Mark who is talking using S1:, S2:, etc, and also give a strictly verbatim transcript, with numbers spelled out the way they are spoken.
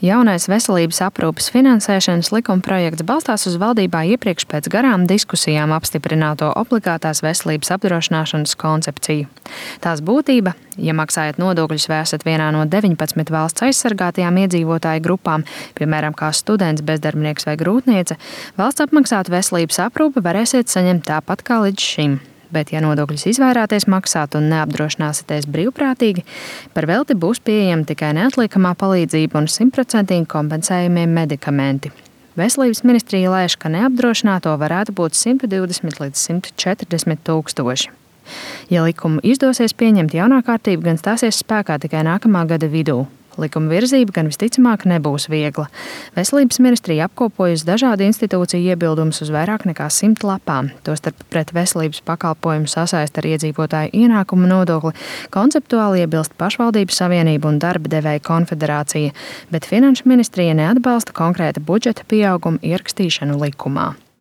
S1: Jaunais veselības aprūpes finansēšanas likumprojekts balstās uz valdībā iepriekš pēc garām diskusijām apstiprināto obligātās veselības apdrošināšanas koncepciju. Tās būtība, ja maksājat nodokļus vai esat vienā no deviņpadsmit valsts aizsargātajām iedzīvotāju grupām, piemēram, kā students, bezdarbnieks vai grūtniece, valsts apmaksātu veselības aprūpi varēsiet saņemt tāpat kā līdz šim. Bet, ja nodokļus izvairāties maksāt un neapdrošināsieties brīvprātīgi, par velti būs pieejama tikai neatliekamā palīdzība un simtprocentīgi kompensējumie medikamenti. Veselības ministrija lēš, ka neapdrošināto varētu būt simt divdesmit līdz simt četrdesmit tūkstoši. Ja likumu izdosies pieņemt, jaunā kārtība gan stāsies spēkā tikai nākamā gada vidū. Likuma virzība gan visticamāk nebūs viegla. Veselības ministrija apkopojusi dažādu institūciju iebildumus uz vairāk nekā simt lapām. Tostarp pret veselības pakalpojumu sasaist ar iedzīvotāju ienākumu nodokli konceptuāli iebilst Pašvaldības savienība un darba devēja konfederācija, bet Finanšu ministrija neatbalsta konkrēta budžeta pieauguma ierakstīšanu likumā.